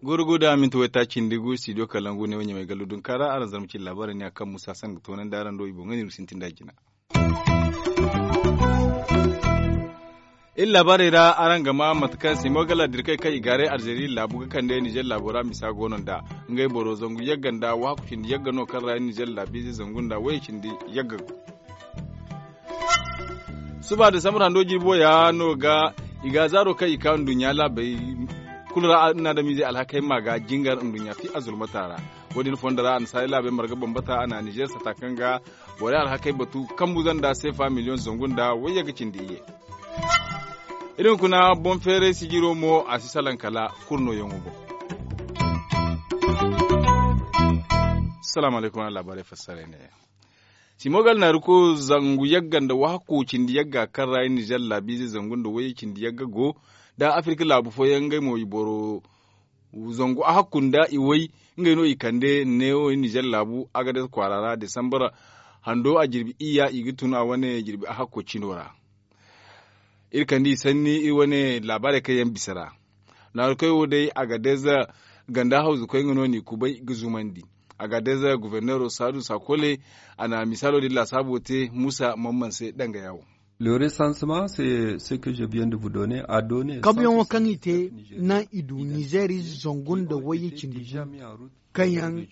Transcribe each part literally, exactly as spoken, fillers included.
Goro go da minti wayta cindi gu studio kalangu ne wo ɲamay gallu dunka ra araŋ zarma cine laabaarey ne a kaŋ musa san ga toonandi araŋ do i boŋ ga ni sintin da jina. Iri laabaarey ra araŋ ga maa mate kaŋ simo ga laadirkey kaŋ i gaaray alzeeri laabu ga kande nizer laabo ra misa go no nd'a. Ngey boro zangu yagga nda waaku cindi yagga no kaŋ ra nizer laabiize zangu nda wayye cindi yagga go. Suba desambar hando jirbi waya no ga i ga zaaro kaŋ i ka nduɲɲa laabey kulu ra, ni na adamiizey alhakey ma ga jingar nduɲɲa fi azulmata ra. Wo- din fondo ra annasaarey laabey marga bambata a na nizer sata kaŋ ga borey alhakey batu kambu zanda seefa miliyoŋ zangu nda wayye ga cindi iyye. Iri hunkuna boŋ feeray sijiro mo a si salaŋ kala kurnoyaŋo boŋ. Salaamu alaykum araŋ laabaarey fassaray ne. Simo ga alnaaru ko zangu yagga nda waaku cindi yagga kaŋ ra nizer laabiize zangu nda wayye cindi yagga go da afirka laabu fooyaŋ ngey mo i boro zangu a hakku nda i way. Ngey no i kande neewo nizer laabu agades kwaara ra desambar hando a jirbi iyya i ga tun a wane jirbi a hakko cino ra. Iri kande i sanni iri wane laabaarey kaŋ yaŋ bisa ra. Naarukey wo day agadez ganda hawzukoy nga no n'i kubay ga zumandi. Agadez goforneero saadu sakole a na misaalo din laasaabo te muusa mamman se danga yaawo. Le recensement c'est ce que je viens de vous donner a donner kabuyaŋo kaŋ i te naŋ i du nizer ize zangu nda wayye cindi gu kaŋ yaŋ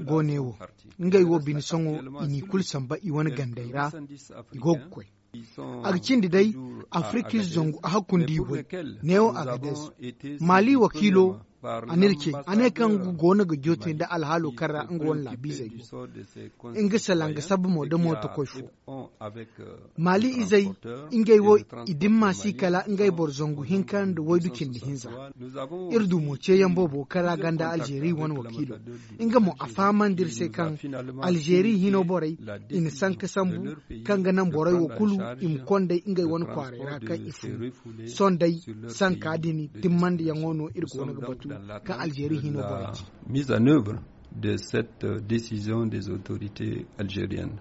go ne wo ngey wo bine sohõ i n'i kulu samba i wane gandey ra. I go ga koy a ga cindi day afirka ize zangu a hakkundi i way. Neewo agadez maali wakiilo a n'iri ce a ne kaŋ nga go no ga jootey nda alhaalo kaŋ ra nga wane laabiizey go nga salaŋ ga sabba mo da mootokoy fo. Maali izey ngey wo i dimma si kala ngey boro zangu hinka nda waydu cindi hinza. Iri du mo ceeyaŋ boobo kaŋ ra ganda alzeeri wane wakiilo nga mo a fahamandi iri se kaŋ alzeeri hino borey i na sanka sambu kaŋ ga naŋ borey wo kulu i ma konday ngey wane kwaaray ra kaŋ i fun. Sondey sanka din timmandiyaŋo no iri go no ga batu kaŋ alzeeri hino borey ci. Mise en œuvre de cette décision des autorités algériennes.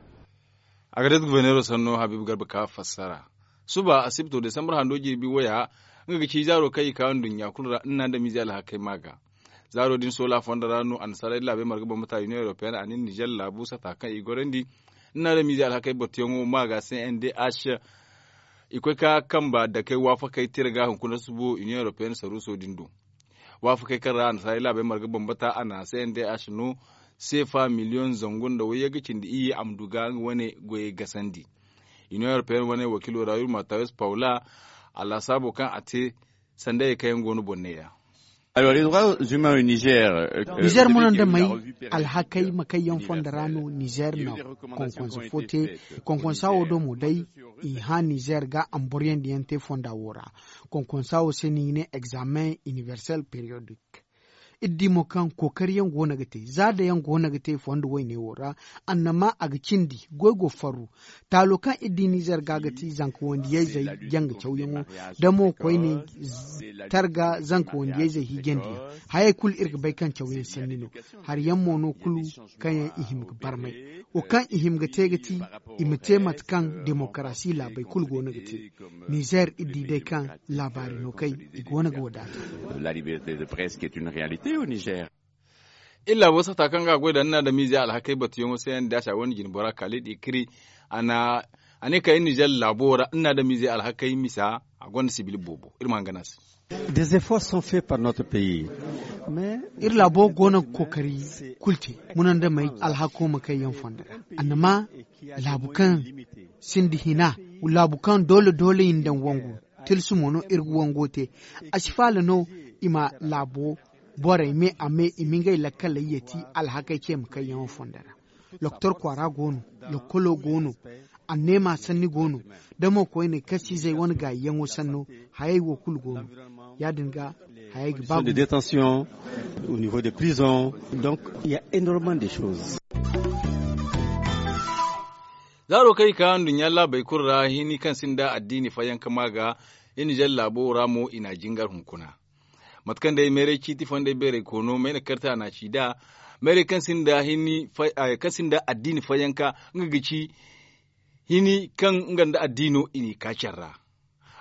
Agadez goforneero sanno habiibu garba ka fassara suba asibto desambar hando jirbi waya nga ga ci zaaro kaŋ i ka nduɲɲa kulu ra ni na adamiizey alhakey ma ga. Zaaro din soola fondo ra no annasaarey laabey marga bambata union européenne a na nizer laabu sata kaŋ i gorandi ni na adamiizey alhakey battuyaŋo ma ga cndh. I koy ka kamba dakey waafakey tira ga hunkuna subo union européenne saruuso din do. Waafakey kaŋ ra annasaarey laabey marga bambata a na cndh no seefa miliyoŋ zangu nda wayye ga cindi iyye a ma du ga nga wane goyey gasandi. Union européenne wane wakiilo ra yurma tawes paula a laasaabo kaŋ a te sandayey kaŋ yaŋ go no boŋ neeya. Nizer mo no nda may alhakey ma kaŋ yaŋ fondo ra no nizer na konkonsa fo te. Konkonsa wo do mo day i hã nizer ga amboryandiyaŋ te fonda wo ra. Konkonsa wo se no i ga ne examen iniversel périodique. Iri di mo kaŋ kookariyaŋ go no ga te za da yaŋ go no ga te fondo wayne wo ra. Annama a ga cindi goy go farru taalo kaŋ iri di nizer ga ga ti zanka wandiyayzey janga cawyaŋo da mo koyne targa zanka wandiyayzey hiijandiyaŋ. Hayey kulu iri ga bay kaŋ cawyaŋ sanni no. Hari yaŋ mo no kulu kaŋ yaŋ i hima ga barmay wo kaŋ i hima ga te ga ti i ma te mate kaŋ demokarasi laabey kulu go no ga te. Nizer iri di day kaŋ laabaari no kay i go no ga wadaata. Iri laabo sata kaŋ ga a goy da ni na adamiizey alhakey batuyaŋo se yaŋ da a si a gonda jinbora kaalid ikiri a ne kaŋ iri nizer laabo ra ni na adamiizey alhakey misa a gonda sibil boobo iri ma hangan a se. Des efforts sont faits par notre pays. Iri laabo go no ga kookari kulu te munandamey alhako ma kay yaŋ fondo ra. Annama laabu kaŋ sinda hina laabu kaŋ doole doole i na daŋ wangu tilsu mo no iri ga wango te. A si faala no i ma laabo borey me a me i ma ngey lakkaley yeti alhakey ce ma kay yaŋo fondo ra. Doktor kwaara go no, lokkolo go no, anneema sanni go no, da mo koyne kaŋ si izey wane gaayiyaŋo sanno. Hayey wo kulu go no. Ya- din ga hayey ga ba de détention au niveau de prison. Donc il ya énormement de choses. Zaaro kaŋ i ka nduɲɲa laabey kulu ra hini kaŋ sinda addiini fayanka ma ga iri nizer laabo ra mo i na jingar hunkuna. Mate kaŋ day meeray ciiti fondey beeray koono mayna karte a na a ci nd'a. Meeray kaŋ sinda addiini fayyanka nga ga ci hini kaŋ nga nda addiino i n'i ka care ra.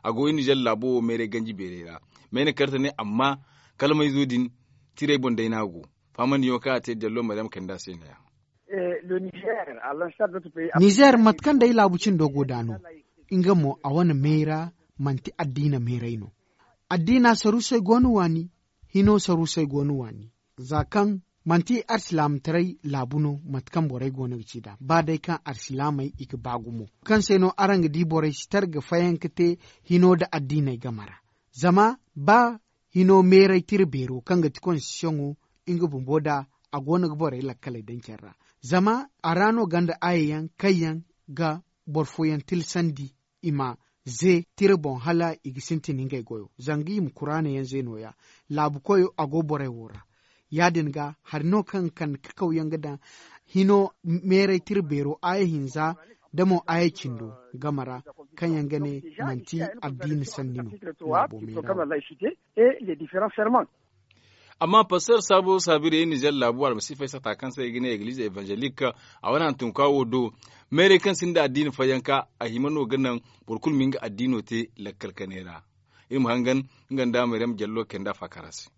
A go iri nizer laabo wo meeray ganji beeray ra. Meene karte ne amma kalmayzo din tiray boŋ day no a go. Faamandiyaŋo kaŋ a te dallo maryam kayndi a se no- ya. Nizer mate kaŋ day laabu cindo go nd'a no, nga mo a wane meera manti addiina meeray no. Addiina saruusey go no waani. Hino saruusey go no waani. Za kaŋ manti arsilaamataray laabu no mate kaŋ borey go no ga ci nd'a ba day kaŋ arsilaamey i ga ba gumo kaŋ se no araŋ ga di borey si tara ga fayanka te hino nda addiiney game ra. Zama ba hino meeray tira beero kaŋ ga ti konstitiyoŋo nga bumbo nd'a a go no ga borey lakkaley daŋ care ra. Zama a ra no gonda aaye yaŋ kaŋ yaŋ ga boro fooyaŋ tilsandi i ma ze tira boŋ hala i ga sintin ngey goyo zanga i ma kuraana yaŋ ze nooya. Laabu koyo a go borey wo ra. Ya- din ga hari no kaŋ ga kande kakaw yaŋ ga daŋ hino meeray tira beero aaye hinza nda mo aaye cindo game ra kaŋ yaŋ ga ne manti addiina sanni no. Laabo meera wo. Amma pastor saabo saabirey nizer laabu almasiifey sata kaŋ se i ga ne eglize evanzelik a wane hantumka wo do meeray kaŋ sinda addiina fayyanka a hima no ga naŋ boro kulu ma nga addiino te lakkal kanay ra. Iri ma hangan nga nda maryam jallo kayndi a faakara se.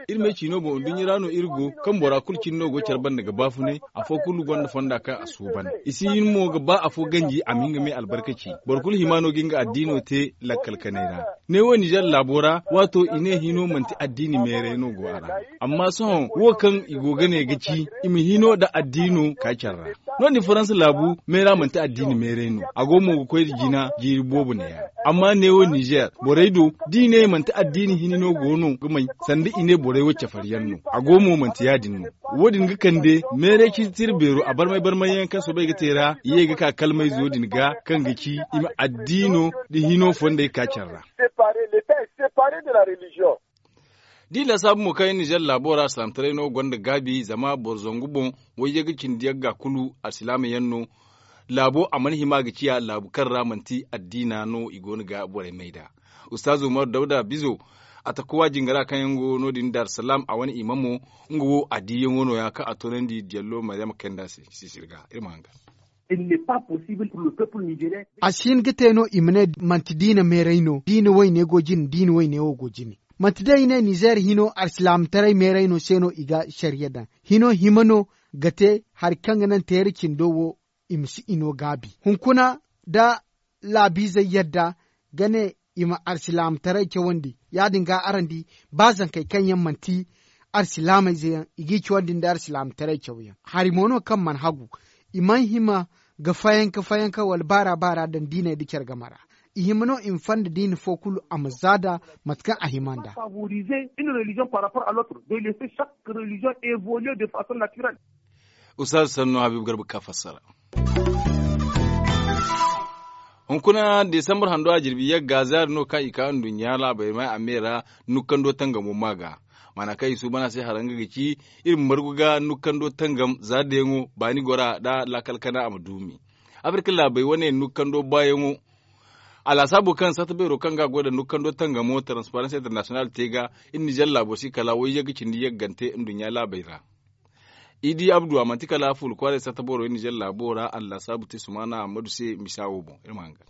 Iri me ciino boŋ nduɲɲa ra no iri go kaŋ bora kulu cine no go care banda ga baafunay. Afo kulu gonda fonda kaŋ a suuban i si hin mo ga ba afo ganji a ma hin ga me albarka ci. Boro kulu hima no ga nga addiino te lakkal kanay ra. Ne wo nizer laabo ra waato i ne hino manti addiini meeray no go a ra. Amma sohõ wo kaŋ i go ga ne ga ci i ma hino nda addiino ka care ra. No- din faransa laabu meera manti addiini meeray no. A go mo ga koy nda jina jiiri boobo neeya. Amma neewo nizer borey do da i ne manti addiini hini no go no ga may sanda i ne borey wo cafariyaŋ no. A go mo manti ya- din no. Wo- din ga kande meeray ciiti tira beero a barmay barmay yaŋ kaŋ soobay ga te ra i ye ga ka kalmayzo din ga kaŋ ga ci i ma addiino nda hino fondey ka care ra. Da i lasaabu mo kaŋ iri nizer laabo ra alsilaamataray no gonda gaabi zama boro zangu boŋ wayye ga cindi yagga kulu alsilaama yaŋ no. Laabo a mana hima ga ciya laabu kaŋ ra manti addiina no i go no ga borey may nd'a. Ustaaz umar dawda bizo a takuwa jingara kaŋ yaŋ go no- din daarusalaam a wane imamo. Nga wo a diiyaŋo nooya kaŋ a toonandi diyallo maryama kayndi a se sisiri ga iri ma hangan. A si hin ga te no i ma ne manti diina meeray no diina wayne go jine diina wayne wo go jine. Manti day i ne nizer hino alsilaamataray meeray no se no i ga sariya daŋ. Hino hima no ga te hari kaŋ ga naŋ teera cindo wo i ma si i no gaabi hunkuna da laabiizey yadda ga ne i ma alsilaamataray cawandi ya- din ga araŋ di ba zankey kaŋ yaŋ manti alsilaamayze yaŋ i g'i cawandi nda alsilaamataray cawyaŋ hari mo no kaŋ mana hagu. I mana hima ga fayanka fayanka wala baara baara daŋ diiney nda care game ra. I hima no i ma fanda diina fo kulu a ma zaada mate kaŋ a hima nd'a. Usaazu sannu habiibu garba ga ka fassara. Hunkuna desambar hando a jirbi yagga zaari no kaŋ i ka nduɲɲa laabey may a me ra nukkando tangamo ma ga. Maana kaŋ i suuban a se hara nga ga ci iri ma margu ga nukkando tangam zaari dayaŋo baani gora nda laakal kana a ma duumi. Afirka laabey wane nukkando baayaŋo a laasaabo kaŋ satta beero kaŋ ga a goy nda nukkando tangamo transparensi internasiyonal te ga. Iri nizer laabo si kala wayye ga cindi yaggante nduɲɲa laabey ra. I di abdu a manti kala fuula kwaaray satta boro iri nizer laabo ra a na laasaabu te sumaana ammadu se misa wo boŋ iri ma hangan.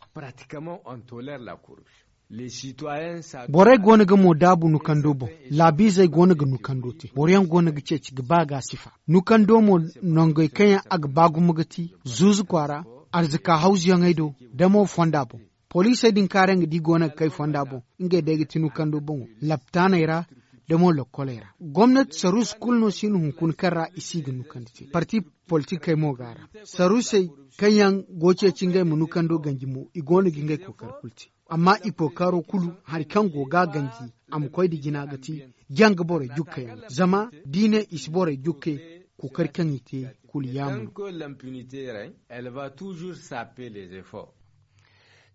Borey go no ga mo daabu nukando boŋ. Laabiizey go no ga nukando te boro yaŋ go no ga ceeci ga ba ga a sifa. Nukando mo nangey kaŋ yaŋ a ga ba gumo ga ti zuuzu kwaara, arzaka hawzuyaŋey do, da mo fonda boŋ. Poliisey din kaŋ araŋ ga di go no ga kay fonda boŋ, ngey day ga ti nukando boŋo laptaaney ra, da mo lokkoley ra. Gomnati saruusu kulu no si no hunkuna kaŋ ra i si ga nukandi te parti politikey mo go a ra. Saruusey kaŋ yaŋ go ceeci ngey ma nukando ganji mo i go no ga ngey kookari kulu te. Amma i kookaro kulu hari kaŋ go ga a ganji a ma koy nda jina ga ti janga borey jukkayaŋ. Zama da i ne i si borey jukkay kookari kaŋ i te kulu yaamar.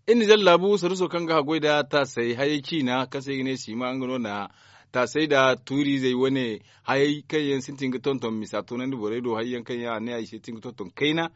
Iri nizer laabu saruuso kaŋ ga haggoy nda taasay hayey ciina kaŋ se i ga ne siima nga no na taasay nda tuuriizey wane hayey kaŋ yaŋ sintin ga tonton misa toonandi borey do hayey yaŋ kaŋ yaŋ a ne ay sintin ga tonton kayna.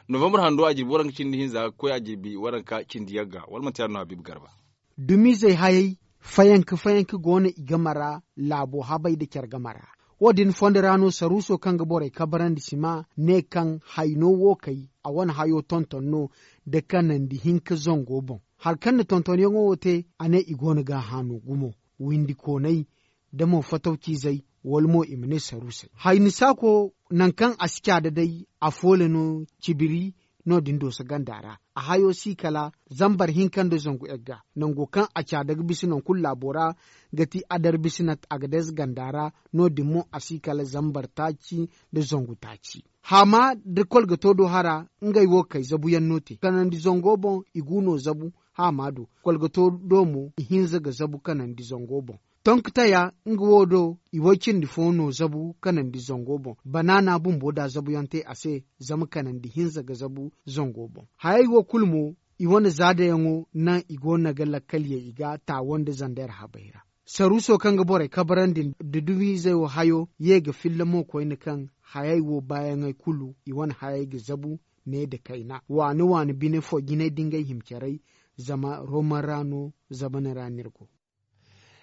Novambar hando a jirbi waranka cindi hinza ga koy a jirbi waranka cindi yagga wala manti yaadin no habiibu garba. Dumiizey hayey fayanka fayanka go no i game ra. Laabo habey nda care game ra. Wo- din fondo ra no saruuso kaŋ ga borey kabarandi si ma ne kaŋ hayno wo kay a wane hayo tonton no nda kanandi hinka zango boŋ. Hari kaŋ na tontonyaŋo wo te, a ne i go no ga a haanu gumo, windikoonay, da mo fatawciizey, wala mo i ma ne saruusey. Hayni saako, nangu kaŋ a si caada day, a foole no cibiri no- din dooso ganda ra. A hayo si kala zambar hinka nda zangu egga. Nango kaŋ a caada ga bisa nangu kulu laabo ra, ga ti adar bisinat a ga deeza ganda ra. No- din mo a si kala zambar taaci nda zangu taaci. Haama da kolgato do hara, ngey wo kay zabuyaŋ no te kanandi zango boŋ. I gu no zabu haama do. Kolgato do mo i hinza ga zabu kanandi zango boŋ. Tonkataya nga wo do, i way cindi fo no zabu kanandi zango boŋ. Banaana bumbo da zabuyaŋ te a se, zama kanandi hinza ga zabu zango boŋ. Hayey wo kulu mo, i wane zaadayaŋo naŋ i go no ga lakkalyey i ga taawo nda zander habey ra. Saruuso kaŋ ga borey kabarandi nda dumiizey wo hayo ye ga filla mo koyne kaŋ hayey wo baayaŋey kulu i wane hayey ga zabu ne nda kayna waani waani bine fo jinay da ngey hima caray. Zama roman ra no zamana ra no iri go.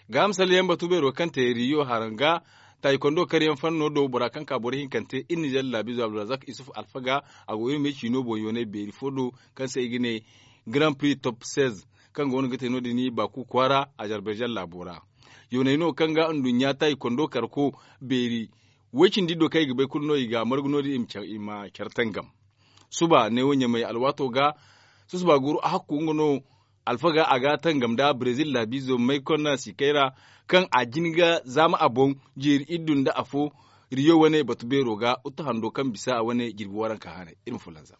Gaaham salleyaŋ batu beero kaŋ te riyo haranga, taayikondo karyaŋ fanno do bora kaŋ ka boro hinkante iri nizer laabizo abdulrazak isuf alfaga. A go iri me ciino boŋ yoonay beeri fo do, kaŋ se i ga ne grand prix top seize, kaŋ go no ga te no- din baaku kwaara azarbayzan laabo ra. Yoonay no kaŋ ga nduɲɲa taayikondo karko beeri, way-cindi do kaŋ i ga bay kulu no i ga a margu no- din i ma care tangam. Suba neewo ɲamay alwaato ga, susuba guru a hakku nga no. Alfaga a ga a tangam nda brezil laabiizo maykonna sikay ra, kaŋ a jin ga zaama a boŋ, jeeri iddu nda afo. Riyo wane batu beero ga uttu hando kaŋ bisa a wane jirbi waranka haanay iri ma fulanza.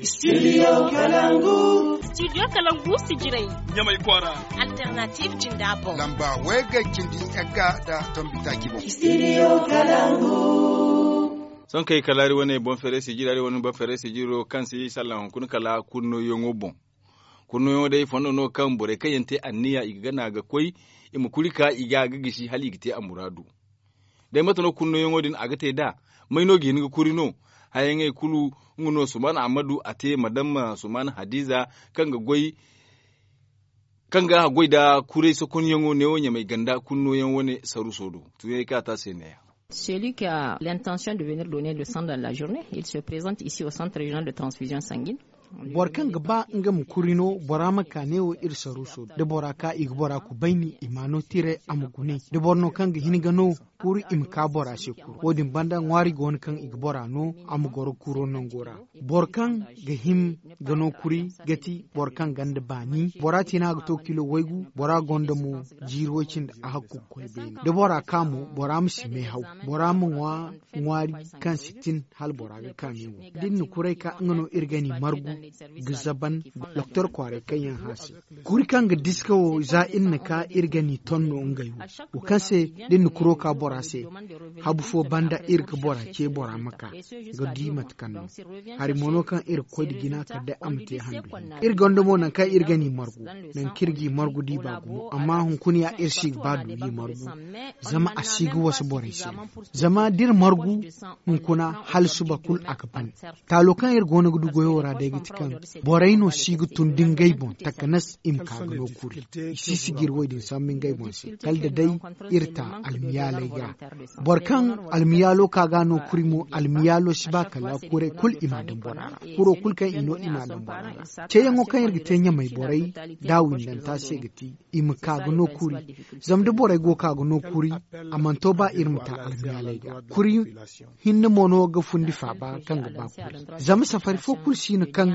Studio kalangu. Studio kalangu sijiray. Ɲamay kwaara. Alternative jinda boŋ. Lamba way ga cindi egga nda tombi taaci boŋ. Studio kalangu. Sohõ kay kala hari wane boŋ feeray sijiro hari wane boŋ feeray sijiro kaŋ si salla hunkuna kala kunnoyaŋo boŋ. Kunnoyaŋo day fondo no kaŋ borey kaŋ yaŋ te anniya i ga gana ga koy, i ma kuri ka i ga ga gisi hala i ga te a muraadu. Day mate no kunnoyaŋo din a ga te nd'a? May no ga hin ga kuri no? Hayaŋey kulu nga no suman ahmadu a te madamma suman hadiza, kaŋ ga goy kaŋ ga a goy nda kuray sokonyaŋo neewo ɲamay ganda kunnoyaŋ wane saruuso do. Tuuyaŋey kaŋ a te a se neeya. Celui qui a l'intention de venir donner le sang dans la journée, il se présente ici au centre régional de transfusion sanguine. Boro kaŋ ga ba nga ma kuri no, bora ma ka neewo iri saruuso do da bora ka i ga bora kubayni i ma no tiray a ma gune da boro no kaŋ ga hin ga no, kuru i ma ka bora se kuru wo- din banda ŋwaari go no kaŋ i ga bora no a ma goro kuro nango ra. Boro kaŋ ga hima ga no kuri ga ti boro kaŋ gonda baani bora tiina ga to kilo waygu bora gonda mo jiiri way cindi a hakku ga koy beene da bora ka mo bora ma si meehaw bora ma ŋwa ŋwaari kaŋ si tin hala bora ga ka meewo. Da iri na kuray ka nga no iri ga ni margu ga zaban doktor kwaaray kaŋ yaŋ hã se. Kuri kaŋ ga diska wo za iri na ka iri ga ni ton no ngey wo wo kaŋ se da iri na kuro ka bora se. Habu fo banda iri ga bora ce bora ma ka ga di mate kaŋ no hari mo no kaŋ iri ga koy nda jina kala day a ma te handu hinka iri gonda mo nangu kaŋ iri ga ni margu nangu kaŋ iri g'i margu da i ba gumo amma hunkuna ya iri si ga ba du g'i margu. Zama a si ga wasa borey se. Zama da iri margu hunkuna hala suba kulu a ga ban. Taalo kaŋ iri go no ga du goyo ra day ga ti kaŋ borey no si ga tun da ngey boŋ takanas i ma ka ga no kuri. I si sijiri wo- din sambu ngey boŋ se kala da day iri ta almiyaaley ga. Boro kaŋ almiyaalo ka ga a no kuri mo almiyaalo si ba kala kuray kulu i m'a daŋ bora ra. Kuro kulu kaŋ i no i m'a daŋ bora ra. Ceeyaŋo kaŋ iri ga te ɲamay borey da a windanta se ga ti i ma ka ga no kuri. Zama da borey go ka ga no kuri a mana to ba iri ma ta almiyaaley ga kuri. Hinne mo no ga fundi faaba kaŋ ga ba kuri. Zama safari fo kulu si no kaŋ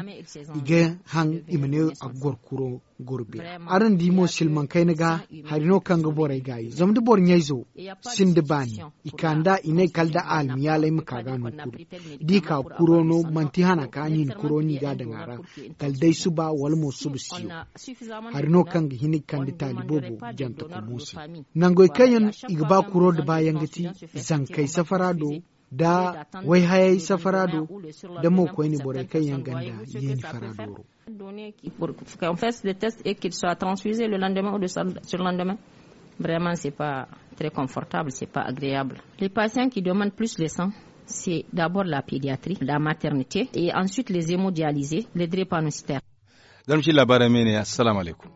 i ga haŋ i ma ne a ga goro kuro goro beeri. Araŋ di mo silmaŋ kayna ga hari no kaŋ ga borey gaayi zama da boro ɲayzo sinda baani i ka nd'a i ne kala da a almiyaaley ma ka ga a no kuri. Da i ka kuro no manti hana ka ni na kuro no i ga a daŋ a ra. Kala day suba wala mo suba siyo. Hari no kaŋ ga hin ga kande taali boobo jante komo se. Nangey kaŋ yaŋ i ga ba kuro nda baayaŋ ga ti zankey safara do da wayhayey safara do da mo koyne borey kaŋ yaŋ ganda yeeni fara dooro. Qu'on fasse des tests et qu'il soit transfusé le lendemain ou le surlendemain. Vraiment c'est pas très confortable, c'est pas agréable. Les patients qui demandent plus de sang, c'est d'abord la pédiatrie, la maternité et ensuite les hémodialysés, les drépanocytaires. Zama ci labaarey me ne assalamu alaikum.